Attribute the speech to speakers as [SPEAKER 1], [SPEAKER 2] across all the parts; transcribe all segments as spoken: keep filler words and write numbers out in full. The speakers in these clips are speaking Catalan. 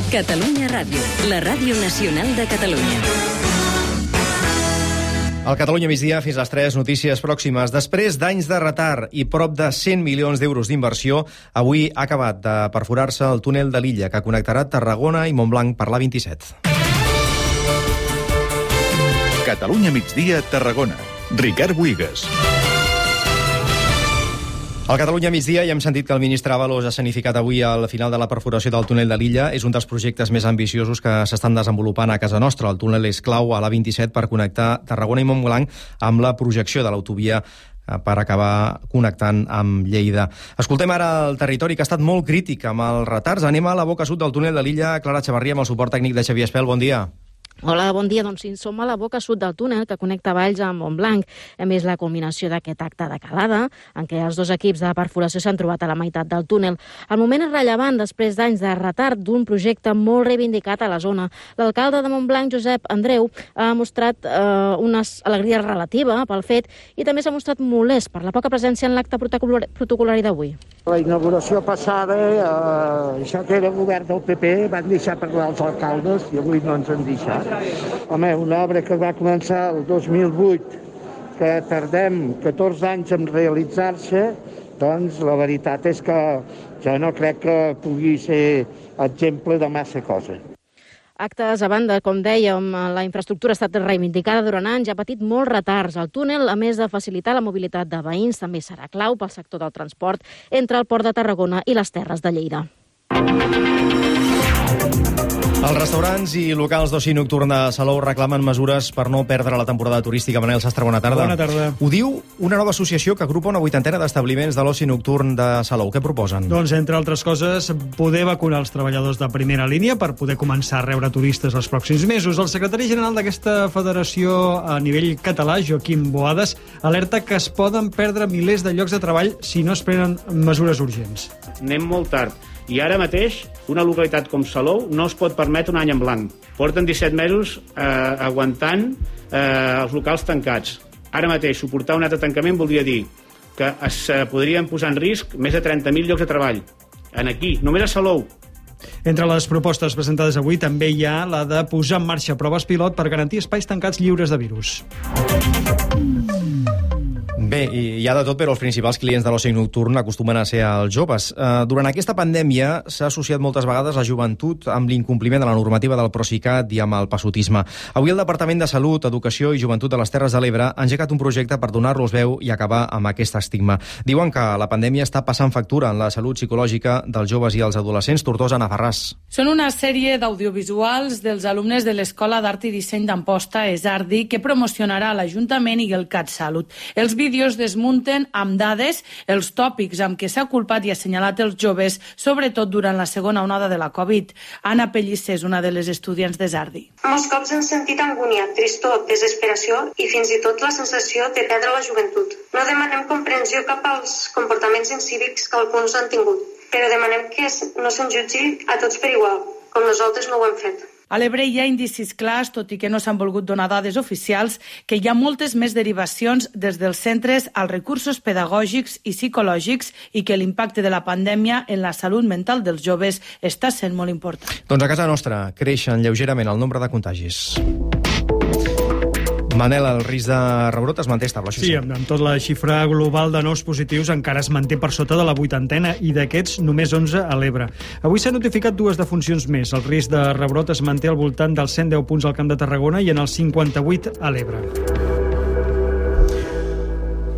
[SPEAKER 1] Catalunya Ràdio, la ràdio nacional de Catalunya.
[SPEAKER 2] Al Catalunya migdia, fins les tres, notícies pròximes. Després d'anys de retard i prop de cent milions d'euros d'inversió, avui ha acabat de perforar-se el túnel de l'Illa, que connectarà Tarragona i Montblanc per l'A vint-i-set.
[SPEAKER 3] Catalunya migdia, Tarragona. Ricard Buigas.
[SPEAKER 2] Al Catalunya migdia ja hem sentit que el ministre Ábalos ha escenificat avui al final de la perforació del túnel de l'Illa. És un dels projectes més ambiciosos que s'estan desenvolupant a casa nostra. El túnel és clau a l'A vint-i-set per connectar Tarragona i Montblanc amb la projecció de l'autovia per acabar connectant amb Lleida. Escoltem ara el territori, que ha estat molt crític amb els retards. Anem a la boca sud del túnel de l'Illa. Clara Xavarria, amb el suport tècnic de Xavier Espel. Bon dia.
[SPEAKER 4] Hola, bon dia. Doncs sí, som a la boca sud del túnel que connecta Valls amb Montblanc. A més, la culminació d'aquest acte de calada, en què els dos equips de perforació s'han trobat a la meitat del túnel. El moment és rellevant després d'anys de retard d'un projecte molt reivindicat a la zona. L'alcalde de Montblanc, Josep Andreu, ha mostrat eh, una alegria relativa pel fet i també s'ha mostrat molest per la poca presència en l'acte protocolari d'avui.
[SPEAKER 5] La inauguració passada, eh, això que era govern del P P, van deixar parlar els alcaldes i avui no ens han deixat. Home, una obra que va començar el dos mil vuit, que tardem catorze anys en realitzar-se, doncs la veritat és que jo no crec que pugui ser exemple de massa cosa.
[SPEAKER 4] Actes a banda, com dèiem, la infraestructura ha estat reivindicada durant anys, ha patit molts retards. El túnel, a més de facilitar la mobilitat de veïns, també serà clau pel sector del transport entre el Port de Tarragona i les Terres de Lleida.
[SPEAKER 2] Els restaurants i locals d'oci nocturn de Salou reclamen mesures per no perdre la temporada turística. Manel Sastre, bona tarda.
[SPEAKER 6] Bona tarda.
[SPEAKER 2] Ho diu una nova associació que agrupa una vuitantena d'establiments de l'oci nocturn de Salou. Què proposen?
[SPEAKER 6] Doncs, entre altres coses, poder vacunar els treballadors de primera línia per poder començar a rebre turistes els pròxims mesos. El secretari general d'aquesta federació a nivell català, Joaquim Boades, alerta que es poden perdre milers de llocs de treball si no es prenen mesures urgents.
[SPEAKER 7] Anem molt tard. I ara mateix, una localitat com Salou no es pot permetre un any en blanc. Porten disset mesos eh, aguantant eh, els locals tancats. Ara mateix, suportar un altre tancament voldria dir que es eh, podrien posar en risc més de trenta mil llocs de treball. En aquí, només a Salou.
[SPEAKER 6] Entre les propostes presentades avui també hi ha la de posar en marxa proves pilot per garantir espais tancats lliures de virus.
[SPEAKER 2] Bé, hi ha de tot, però els principals clients de l'oci nocturn acostumen a ser els joves. Uh, durant aquesta pandèmia s'ha associat moltes vegades la joventut amb l'incompliment de la normativa del Procicat i amb el passotisme. Avui el Departament de Salut, Educació i Joventut de les Terres de l'Ebre ha engegat un projecte per donar-los veu i acabar amb aquest estigma. Diuen que la pandèmia està passant factura en la salut psicològica dels joves i els adolescents. Tortosa, Navarràs.
[SPEAKER 8] Són una sèrie d'audiovisuals dels alumnes de l'Escola d'Art i Disseny d'Amposta, ESARDI, que promocionarà l'Ajuntament i el CatSalut. Els vídeos desmunten amb dades els tòpics amb què s'ha culpat i assenyalat els joves, sobretot durant la segona onada de la Covid. Anna Pellicer és una de les estudiants d'ESARDI.
[SPEAKER 9] Molts cops hem sentit angúnia, tristor, desesperació i fins i tot la sensació de perdre la joventut. No demanem comprensió cap als comportaments incívics que alguns han tingut, però demanem que no se'n jutgi a tots per igual, com nosaltres no ho hem fet.
[SPEAKER 8] A l'Ebre hi ha indicis clars, tot i que no s'han volgut donar dades oficials, que hi ha moltes més derivacions des dels centres als recursos pedagògics i psicològics i que l'impacte de la pandèmia en la salut mental dels joves està sent molt important.
[SPEAKER 2] Doncs a casa nostra creixen lleugerament el nombre de contagis. Manel, el risc de rebrot es manté estable, això sí.
[SPEAKER 6] Sí, amb, amb tot la xifra global de nous positius encara es manté per sota de la vuitantena i d'aquests només onze a l'Ebre. Avui s'han notificat dues defuncions més. El risc de rebrot es manté al voltant dels cent deu punts al Camp de Tarragona i en els cinquanta-vuit a l'Ebre.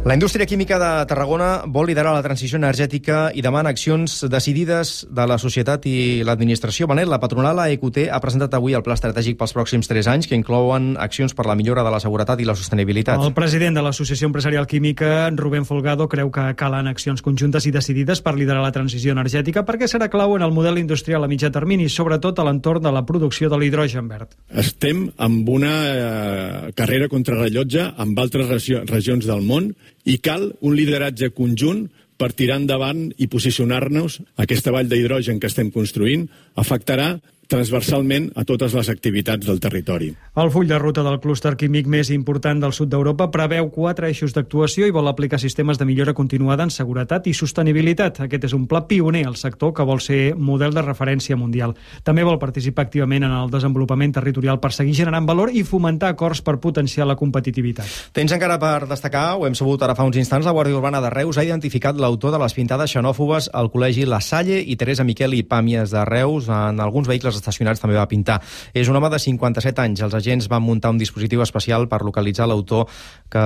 [SPEAKER 2] La indústria química de Tarragona vol liderar la transició energètica i demana accions decidides de la societat i l'administració. Manel, la patronal A E Q T ha presentat avui el pla estratègic pels pròxims tres anys, que inclouen accions per la millora de la seguretat i la sostenibilitat.
[SPEAKER 6] El president de l'Associació Empresarial Química, Rubén Folgado, creu que calen accions conjuntes i decidides per liderar la transició energètica perquè serà clau en el model industrial a mitjà termini, sobretot a l'entorn de la producció de l'hidrogen verd.
[SPEAKER 10] Estem amb una eh, carrera contrarrellotge amb altres regions del món i cal un lideratge conjunt per tirar endavant i posicionar-nos. Aquesta vall d'hidrogen que estem construint afectarà transversalment a totes les activitats del territori.
[SPEAKER 6] El full de ruta del clúster químic més important del sud d'Europa preveu quatre eixos d'actuació i vol aplicar sistemes de millora continuada en seguretat i sostenibilitat. Aquest és un pla pioner al sector que vol ser model de referència mundial. També vol participar activament en el desenvolupament territorial per seguir generant valor i fomentar acords per potenciar la competitivitat.
[SPEAKER 2] Tens encara per destacar, ho hem sabut ara fa uns instants, la Guàrdia Urbana de Reus ha identificat l'autor de les pintades xenòfobes al col·legi La Salle i Teresa Miquel i Pàmies de Reus. En alguns vehicles estacionats també va pintar. És un home de cinquanta-set anys. Els agents van muntar un dispositiu especial per localitzar l'autor que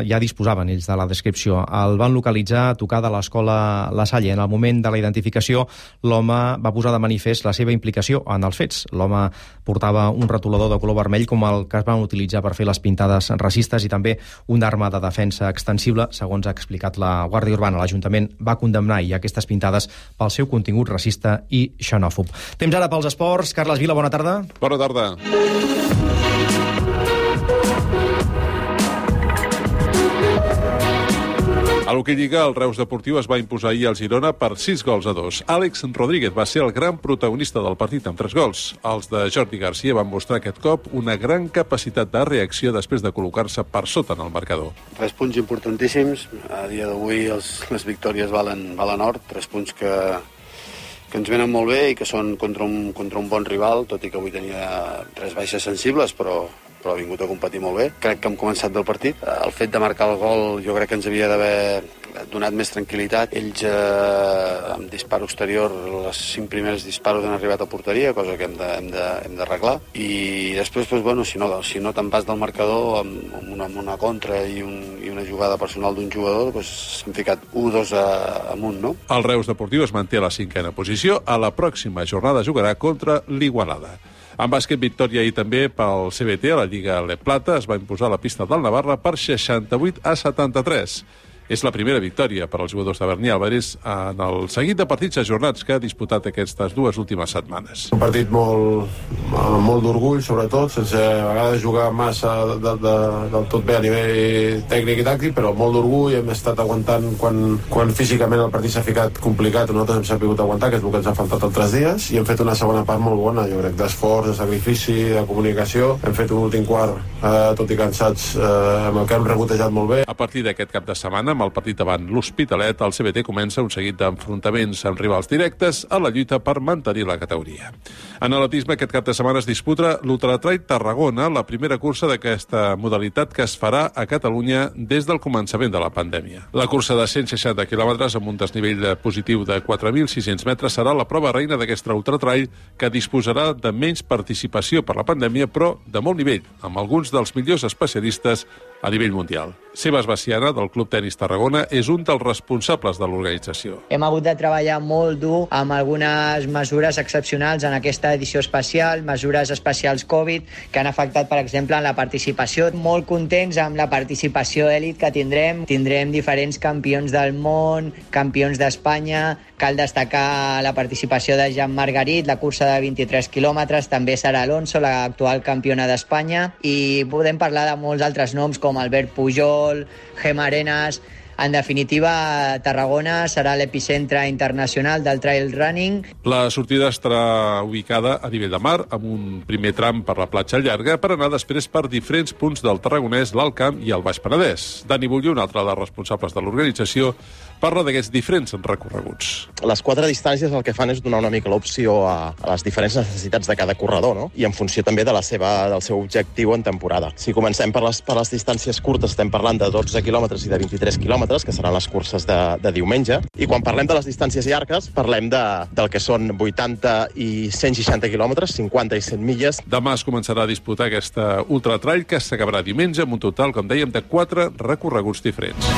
[SPEAKER 2] ja disposaven ells de la descripció. El van localitzar a tocar de l'escola La Salle. En el moment de la identificació, l'home va posar de manifest la seva implicació en els fets. L'home portava un retolador de color vermell com el que es van utilitzar per fer les pintades racistes i també una arma de defensa extensible, segons ha explicat la Guàrdia Urbana. L'Ajuntament va condemnar i aquestes pintades pel seu contingut racista i xenòfob. Temps ara pels esports. Carles Vila, bona tarda.
[SPEAKER 11] Bona tarda. A l'hoquei Lliga, el Reus Deportiu es va imposar ahir al Girona per sis gols a dos. Àlex Rodríguez va ser el gran protagonista del partit amb tres gols. Els de Jordi Garcia van mostrar aquest cop una gran capacitat de reacció després de col·locar-se per sota en el marcador.
[SPEAKER 12] Tres punts importantíssims. A dia d'avui els, les victòries valen, valen or. Tres punts que, que ens venen molt bé i que són contra un, contra un bon rival, tot i que avui tenia tres baixes sensibles, però... però ha vingut a competir molt bé. Crec que hem començat del partit. El fet de marcar el gol jo crec que ens havia d'haver donat més tranquil·litat. Ells, eh, amb disparo exterior, els cinc primers disparos han arribat a porteria, cosa que hem de, hem de, hem d'arreglar. I després, doncs, bueno, si no, si no te'n vas del marcador amb, amb, una, amb una contra i, un, i una jugada personal d'un jugador, doncs s'han ficat u dos amunt, no?
[SPEAKER 11] El Reus Deportiu es manté a la cinquena posició. A la pròxima jornada jugarà contra l'Igualada. En bàsquet, victòria ahir també pel C B T a la Lliga Le Plata. Es va imposar la pista del Navarra per seixanta-vuit a setanta-tres. És la primera victòria per als jugadors de Berní Álvarez en el seguit de partits ajornats que ha disputat aquestes dues últimes setmanes.
[SPEAKER 13] Un partit molt, molt d'orgull, sobretot, sense a vegades jugar massa de, de, del tot bé a nivell tècnic i tàctic, però molt d'orgull. Hem estat aguantant quan, quan físicament el partit s'ha ficat complicat. Nosaltres hem sabut aguantar, que és el que ens ha faltat altres dies, i hem fet una segona part molt bona, jo crec, d'esforç, de sacrifici, de comunicació. Hem fet un últim quart, eh, tot i cansats, eh, amb el que hem rebotejat molt bé.
[SPEAKER 11] A partir d'aquest cap de setmana, amb el partit davant l'Hospitalet, el C B T comença un seguit d'enfrontaments amb rivals directes a la lluita per mantenir la categoria. En atletisme, aquest cap de setmana es disputa l'Ultratrail Tarragona, la primera cursa d'aquesta modalitat que es farà a Catalunya des del començament de la pandèmia. La cursa de cent seixanta quilòmetres amb un desnivell positiu de quatre mil sis-cents metres serà la prova reina d'aquesta Ultratrail, que disposarà de menys participació per la pandèmia, però de molt nivell, amb alguns dels millors especialistes a nivell mundial. Sebas Baciana, del Club Tenis Tarragona, és un dels responsables de l'organització.
[SPEAKER 14] Hem hagut de treballar molt dur amb algunes mesures excepcionals en aquesta edició especial, mesures especials Covid, que han afectat, per exemple, en la participació. Molt contents amb la participació èlit que tindrem. Tindrem diferents campions del món, campions d'Espanya. Cal destacar la participació de Jean Margarit, la cursa de vint-i-tres quilòmetres, també Sara Alonso, l'actual campiona d'Espanya, i podem parlar de molts altres noms com Albert Pujol, Gemma Arenas. En definitiva, Tarragona serà l'epicentre internacional del trail running.
[SPEAKER 11] La sortida estarà ubicada a nivell de mar, amb un primer tram per la platja llarga, per anar després per diferents punts del Tarragonès, l'Alt Camp i el Baix Penedès. Dani Bullo, un altre dels responsables de l'organització, parla d'aquests diferents recorreguts.
[SPEAKER 15] Les quatre distàncies el que fan és donar una mica l'opció a, a les diferents necessitats de cada corredor, no? I en funció també de la seva, del seu objectiu en temporada. Si comencem per les, per les distàncies curtes, estem parlant de dotze quilòmetres i de vint-i-tres quilòmetres, que seran les curses de, de diumenge. I quan parlem de les distàncies llargues, parlem de, del que són vuitanta i cent seixanta quilòmetres, cinquanta i cent milles.
[SPEAKER 11] Demà es començarà a disputar aquesta ultratrail que s'acabarà diumenge amb un total, com dèiem, de quatre recorreguts diferents.